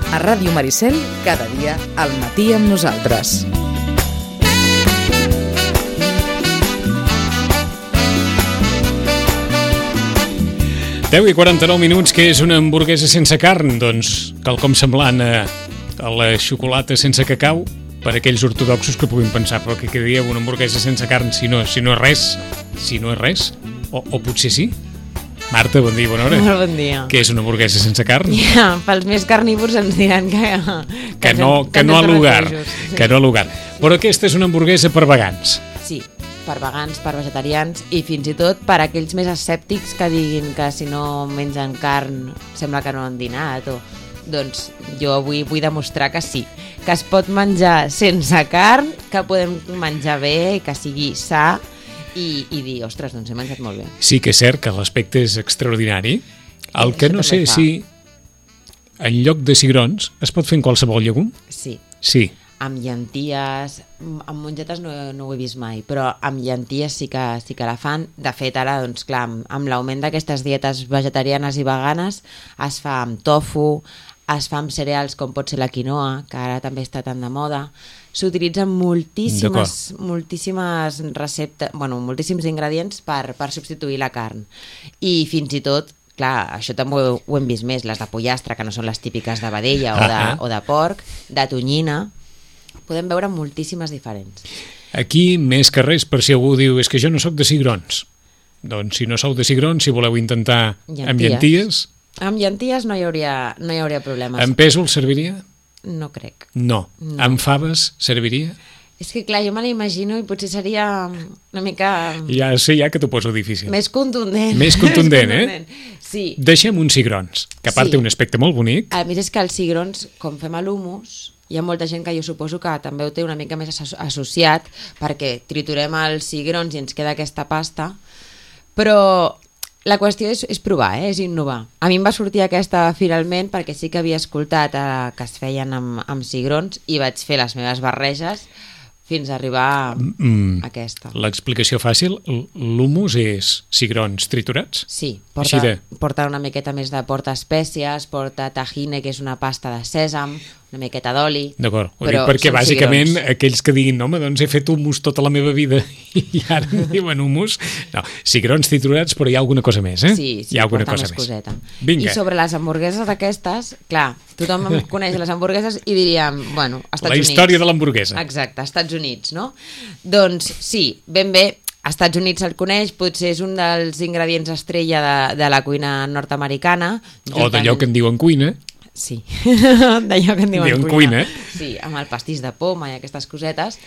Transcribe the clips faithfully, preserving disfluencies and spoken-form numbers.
A Ràdio Maricel, cada dia al matí amb nosaltres. deu i quaranta-nou minuts, que és una hamburguesa sense carn? Doncs quelcom semblant a, a la xocolata sense cacau, per aquells ortodoxos que puguin pensar, però que quedaria una hamburguesa sense carn si no, si no és res, si no és res, o, o potser sí. Marta, bon dia, bona hora. Molt bon dia. Què és una hamburguesa sense carn? Ja, pels més carnívors ens diran que... Que, que no, que no a lugar, sí. que no a lugar. Però aquesta és una hamburguesa per vegans. Sí, per vegans, per vegetarians i fins i tot per aquells més escèptics que diguin que si no mengen carn sembla que no han dinat o... Doncs jo avui vull demostrar que sí, que es pot menjar sense carn, que podem menjar bé i que sigui sa i, i dir, ostres, doncs he menjat molt bé. Sí que és cert que l'aspecte és extraordinari. El que no sé si en lloc de cigrons es pot fer en qualsevol llegum? Sí. Sí. Amb llenties, amb mongetes no, no ho he vist mai, però amb llenties sí que, sí que la fan. De fet, ara, doncs clar, amb, amb l'augment d'aquestes dietes vegetarianes i veganes es fa amb tofu, es fa amb cereals com pot ser la quinoa, que ara també està tan de moda. S'utilitzen moltíssimes, moltíssimes receptes, bueno, moltíssims ingredients per, per substituir la carn. I fins i tot, clar, això també ho, ho hem vist més, les de pollastre, que no són les típiques de vedella o de, o de porc, de tonyina, podem veure moltíssimes diferents. Aquí, més que res, per si algú diu és que jo no sóc de cigrons. Doncs si no sou de cigrons, si voleu intentar llenties. amb llenties... Amb llenties no hi hauria, no hi hauria problemes. Amb pèsol serviria? No crec. No. no. Amb faves serviria? És que clar, jo me l'imagino i potser seria una mica... Ja sé ja que t'ho poso difícil. Més contundent. Més contundent, eh? Sí. Deixem uns cigrons, que a part sí. té un aspecte molt bonic. A més és que els cigrons, com fem a l'humus, hi ha molta gent que jo suposo que també ho té una mica més associat, perquè triturem els cigrons i ens queda aquesta pasta, però... La qüestió és, és provar, eh? És innovar. A mi em va sortir aquesta finalment perquè sí que havia escoltat eh, que es feien amb, amb cigrons i vaig fer les meves barreges fins a arribar mm, a aquesta. L'explicació fàcil, l'humus és cigrons triturats? Sí, porta, de... porta una miqueta més de porta espècies, porta tahine, que és una pasta de sèsam, una miqueta d'oli. D'acord, ho dic perquè bàsicament cigrons. Aquells que diguin, no, home, doncs he fet humus tota la meva vida i ara em diuen humus. No, cigrons triturats, però hi ha alguna cosa més, eh? Sí, sí, hi ha alguna porta cosa més més. Coseta. Vinga. I sobre les hamburgueses aquestes, clar, tothom coneix les hamburgueses i diríem, bueno, Estats la Units. La història de l'hamburguesa. Exacte, Estats Units, no? Doncs sí, ben bé, als Estats Units se'l coneix, potser és un dels ingredients estrella de, de la cuina nord-americana. O d'allò que en diuen cuina. Sí, d'allò que en diuen, diuen cuina. cuina. Sí, amb el pastís de poma i aquestes cosetes,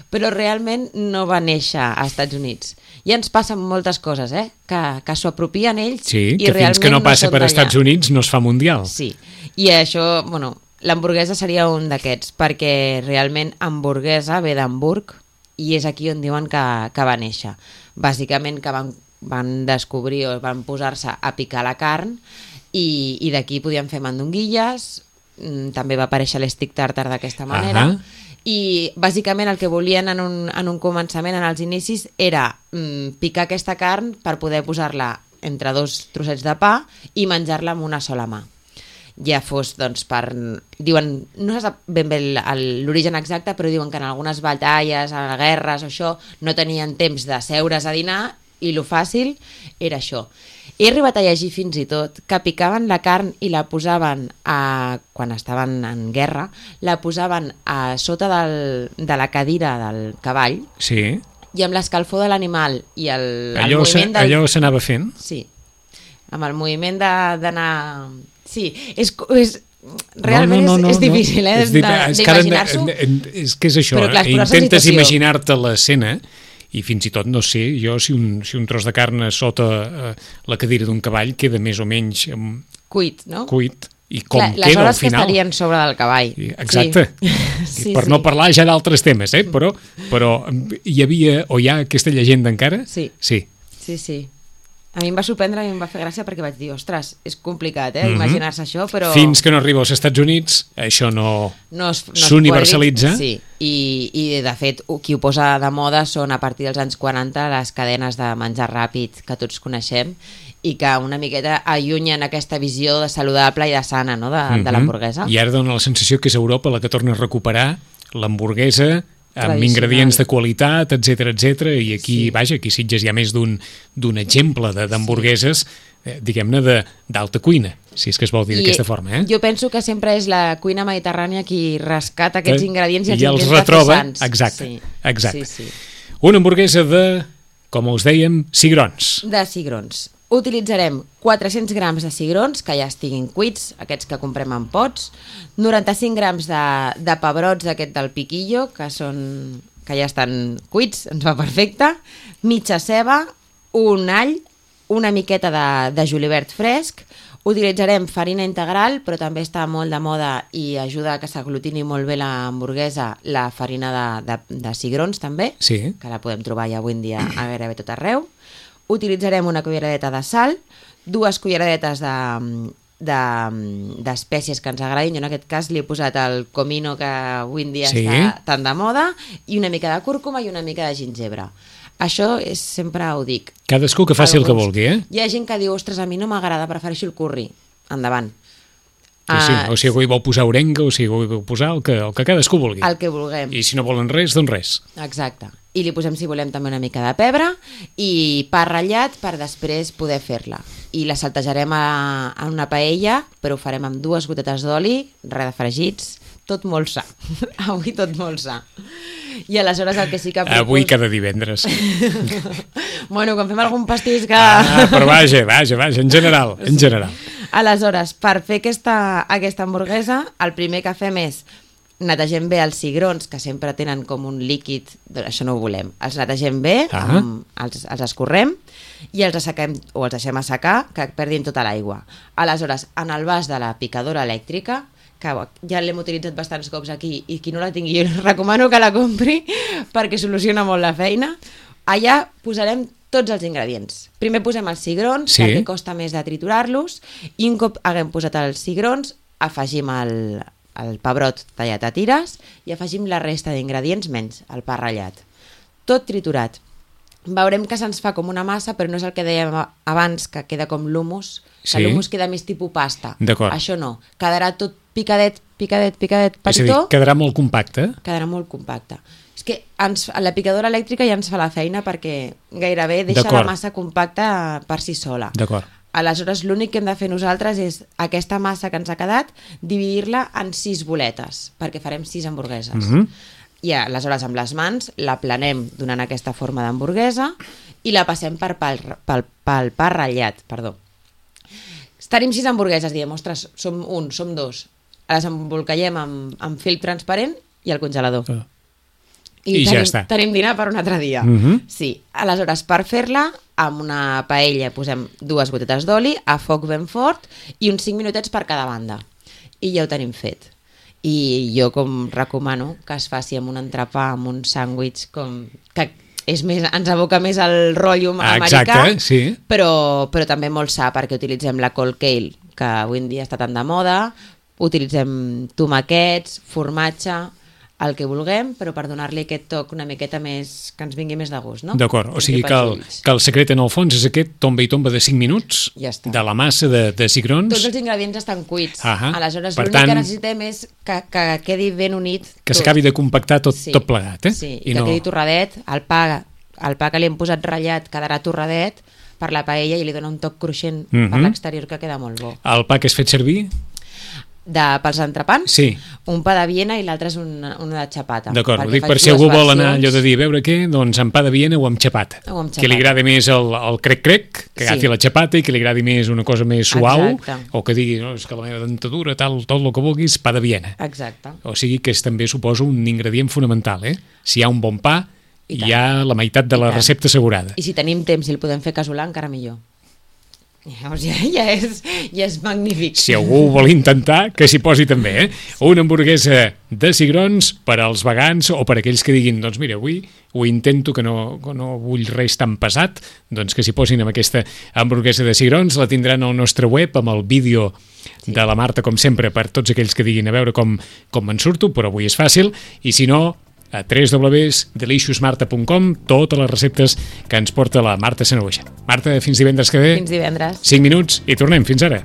però realment no va néixer als Estats Units. I ens passen moltes coses, eh? Que, que s'ho apropien ells sí, i que fins que no passa no per Estats Units no es fa mundial. Sí, i això, bueno, l'hamburguesa seria un d'aquests, perquè realment hamburguesa ve d'Hamburg i és aquí on diuen que, que va néixer. Bàsicament que van, van descobrir o van posar-se a picar la carn i, i d'aquí podien fer mandonguilles, també va aparèixer l'stick tartar d'aquesta manera. Uh -huh. I bàsicament el que volien en un, en un començament, en els inicis, era mm, picar aquesta carn per poder posar-la entre dos trossets de pa i menjar-la amb una sola mà. Ja fos, doncs, per... Diuen, no se sap ben bé l'origen exacte, però diuen que en algunes batalles, a guerres o això, no tenien temps de seure's a dinar i lo fàcil era això. He arribat a llegir fins i tot que picaven la carn i la posaven, a, quan estaven en guerra, la posaven a sota del, de la cadira del cavall. Sí. I amb l'escalfor de l'animal i el, el allò moviment... Del... Allò s'anava fent? Sí. Amb el moviment d'anar... Sí, és... és realment no, no, no, és, és difícil, eh, d'imaginar-s'ho. És que és això, però, clar, eh? Intentes imaginar-te l'escena i fins i tot, no sé, jo si un, si un tros de carn sota eh, la cadira d'un cavall queda més o menys... Eh, cuit, no? Cuit. I com clar, queda al final. Les hores que estarien sobre del cavall. Exacte. Sí. Sí, per sí. no parlar ja d'altres temes, eh? Però, però hi havia, o hi ha aquesta llegenda encara? Sí. Sí. Sí, sí. A mi em va sorprendre i em va fer gràcia perquè vaig dir, ostres, és complicat, eh, mm-hmm. imaginar-se això, però... Fins que no arriba als Estats Units, això no, no s'universalitza. Sí, I, i de fet, qui ho posa de moda són a partir dels anys quaranta les cadenes de menjar ràpid que tots coneixem i que una miqueta allunyen aquesta visió de saludable i de sana, no?, de, mm-hmm. de l'hamburguesa. I ara dona la sensació que és Europa la que torna a recuperar l'hamburguesa amb ingredients de qualitat, etcètera, etcètera, i aquí, sí. vaja, aquí a Sitges hi ha més d'un d'un exemple d'hamburgueses, eh, diguem-ne, d'alta cuina, si és que es vol dir d'aquesta forma, eh? Jo penso que sempre és la cuina mediterrània qui rescata aquests ingredients i els, I els intenta retroba, fer sants. exacte, Sí. exacte. Sí, sí. Una hamburguesa de, com us dèiem, cigrons. De cigrons. Utilitzarem quatre-cents grams de cigrons, que ja estiguin cuits, aquests que comprem en pots, noranta-cinc grams de, de pebrots aquest del piquillo, que són que ja estan cuits, ens va perfecte, mitja ceba, un all, una miqueta de, de julivert fresc, utilitzarem farina integral, però també està molt de moda i ajuda a que s'aglutini molt bé l'hamburguesa, la farina de, de, de cigrons també, sí. que la podem trobar ja avui en dia a gairebé tot arreu. Utilitzarem una culleradeta de sal, dues culleradetes d'espècies de, de, que ens agradin. Jo en aquest cas li he posat el comino, que avui en dia sí. està tan de moda, i una mica de cúrcuma i una mica de gingebre. Això és, sempre ho dic. Cadascú que faci Alguns, el que vulgui, eh? Hi ha gent que diu, ostres, a mi no m'agrada, prefereixo el curri. Endavant. Sí, sí. O si algú hi vol posar orenga, o si algú hi vol posar el que, el que cadascú vulgui. El que vulguem. I si no volen res, doncs res. Exacte. I li posem, si volem, també una mica de pebre i pa ratllat per després poder fer-la. I la saltejarem a, a una paella, però ho farem amb dues gotetes d'oli, res de fregits, tot molt sa. Avui tot molt sa. I aleshores el que sí que... Propos... Avui cada divendres. Bueno, quan fem algun pastís que... Ah, però vaja, vaja, vaja, en general, en general. Aleshores, per fer aquesta, aquesta hamburguesa, el primer que fem és netegem bé els cigrons, que sempre tenen com un líquid, doncs això no ho volem. Els netegem bé, ah. amb, els, els escorrem i els assequem, o els deixem assecar, que perdin tota l'aigua. Aleshores, en el vas de la picadora elèctrica, que ja l'hem utilitzat bastants cops aquí, i qui no la tingui, jo recomano que la compri, perquè soluciona molt la feina, allà posarem tots els ingredients. Primer posem els cigrons, sí. perquè costa més de triturar-los, i un cop haguem posat els cigrons, afegim el, el pebrot tallat a tires i afegim la resta d'ingredients menys el pa ratllat. Tot triturat. Veurem que se'ns fa com una massa, però no és el que dèiem abans, que queda com l'humus, que sí. l'humus queda més tipus pasta. Això no. Quedarà tot picadet, picadet, picadet, petitó. És a dir, quedarà molt compacte. Quedarà molt compacte. És que ens, la picadora elèctrica ja ens fa la feina perquè gairebé deixa la massa compacta per si sola. D'acord. Aleshores, l'únic que hem de fer nosaltres és aquesta massa que ens ha quedat, dividir-la en sis boletes, perquè farem sis hamburgueses. Mm-hmm. I aleshores, amb les mans, la planem donant aquesta forma d'hamburguesa i la passem per pel, pel, pel pa ratllat, perdó. Tenim sis hamburgueses, diem, ostres, som un, som dos. Les embolcallem amb, amb fil transparent i al congelador. Uh. I, I tenim, ja està. Tenim dinar per un altre dia. Mm-hmm. Sí. Aleshores, per fer-la, amb una paella posem dues gotetes d'oli, a foc ben fort, i uns cinc minutets per cada banda. I ja ho tenim fet. I jo com recomano que es faci amb un entrepà, amb un sàndwich, com que és més, ens aboca més al rotllo ah, americà, exacte, sí. però, però també molt sa, perquè utilitzem la cold kale, que avui en dia està tan de moda, utilitzem tomàquets, formatge, el que vulguem, però per donar-li aquest toc una miqueta més, que ens vingui més de gust, no? D'acord, o sigui que el, que el secret en el fons és aquest tomba i tomba de cinc minuts, ja de la massa de, de cigrons. Tots els ingredients estan cuits, uh -huh. aleshores l'únic que necessitem és que, que quedi ben unit. Que s'acabi de compactar tot, sí. tot plegat, eh? Sí, i, I que no... quedi torradet, el pa, el pa que li hem posat ratllat quedarà torradet per la paella i li dona un toc cruixent uh -huh. per l'exterior que queda molt bo. El pa que has fet servir? De, pels entrepans, sí. un pa de Viena i l'altre és una, una de xapata. D'acord, ho dic per si algú versions. Vol anar allò de dir, a veure què, doncs amb pa de Viena o amb xapata. O amb xapata. Que li agradi més el, el crec-crec, que agafi sí. la xapata, i que li agradi més una cosa més suau, exacte. O que digui, no, és que la meva dentadura, tal, tot el que vulguis, pa de Viena. Exacte. O sigui que és també, suposo, un ingredient fonamental, eh? Si hi ha un bon pa, hi ha la meitat de la recepta assegurada. I si tenim temps i el podem fer casolà, encara millor. Ja, ja, és, ja és magnífic. Si algú vol intentar, que s'hi posi també, eh? Una hamburguesa de cigrons per als vegans o per aquells que diguin, doncs mira, avui ho intento, que no, que no vull res tan pesat, doncs que s'hi posin amb aquesta hamburguesa de cigrons. La tindran al nostre web amb el vídeo sí. de la Marta, com sempre, per tots aquells que diguin a veure com, com me'n surto, però avui és fàcil, i si no, a w w w punt delicious marta punt com totes les receptes que ens porta la Marta Sanahuja. Marta, fins divendres que ve. Fins divendres. cinc minuts i tornem. Fins ara.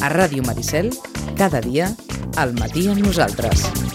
A Ràdio Maricel, cada dia, al matí amb nosaltres.